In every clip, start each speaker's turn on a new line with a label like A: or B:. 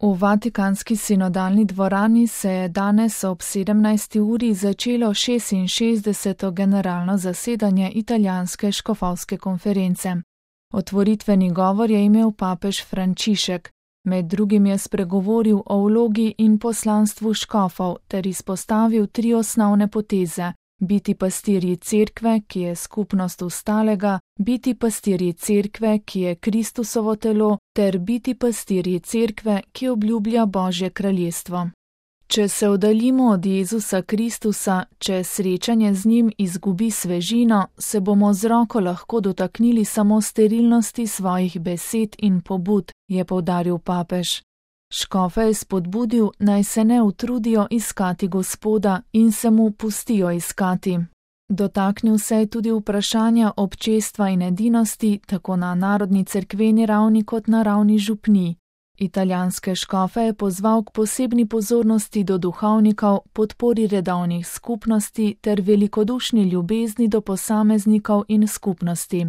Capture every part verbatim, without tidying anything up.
A: V Vatikanski sinodalni dvorani se je danes ob sedemnajsti uri začelo šestinšestdeseto generalno zasedanje italijanske škofovske konference. Otvoritveni govor je imel papež Frančišek, med drugim je spregovoril o vlogi in poslanstvu škofov ter izpostavil tri osnovne poteze: biti pastirji cerkve, ki je skupnost ostalega, biti pastirji cerkve, ki je Kristusovo telo, ter biti pastirji cerkve, ki obljublja Božje kraljestvo. Če se oddaljimo od Jezusa Kristusa, če srečanje z njim izgubi svežino, se bomo z roko lahko dotaknili samo sterilnosti svojih besed in pobud, je poudaril papež. Škofe je spodbudil, naj se ne utrudijo iskati Gospoda in se mu pustijo iskati. Dotaknil se je tudi vprašanja občestva in edinosti, tako na narodni cerkveni ravni kot na ravni župnij. Italijanske škofe je pozval k posebni pozornosti do duhovnikov, podpori redovnih skupnosti ter velikodušni ljubezni do posameznikov in skupnosti.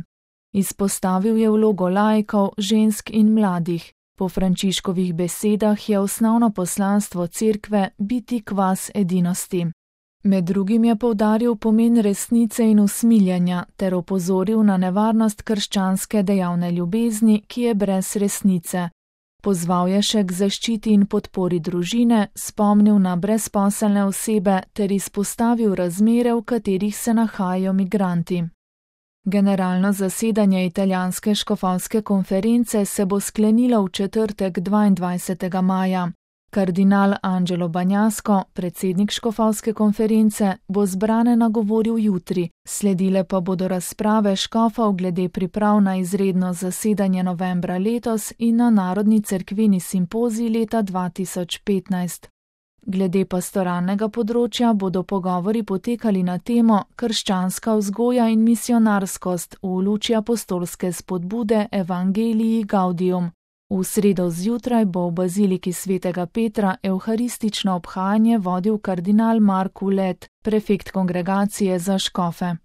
A: Izpostavil je vlogo laikov, žensk in mladih. Po Frančiškovih besedah je osnovno poslanstvo cerkve biti kvas edinosti. Med drugim je poudaril pomen resnice in usmiljanja ter opozoril na nevarnost krščanske dejavne ljubezni, ki je brez resnice. Pozval je še k zaščiti in podpori družine, spomnil na brezposelne osebe ter izpostavil razmere, v katerih se nahajajo migranti. Generalno zasedanje italijanske škofovske konference se bo sklenilo v četrtek dvaindvajsetega maja. Kardinal Angelo Bagnasco, predsednik škofovske konference, bo zbrane nagovoril jutri, sledile pa bodo razprave škofov glede priprav na izredno zasedanje novembra letos in na narodni cerkveni simpozij leta dva tisoč petnajst. Glede pastoralnega področja bodo pogovori potekali na temo krščanska vzgoja in misionarskost v luči apostolske spodbude Evangelii Gaudium. V sredo zjutraj bo v baziliki svetega Petra evharistično obhajanje vodil kardinal Mark Ulet, prefekt kongregacije za škofe.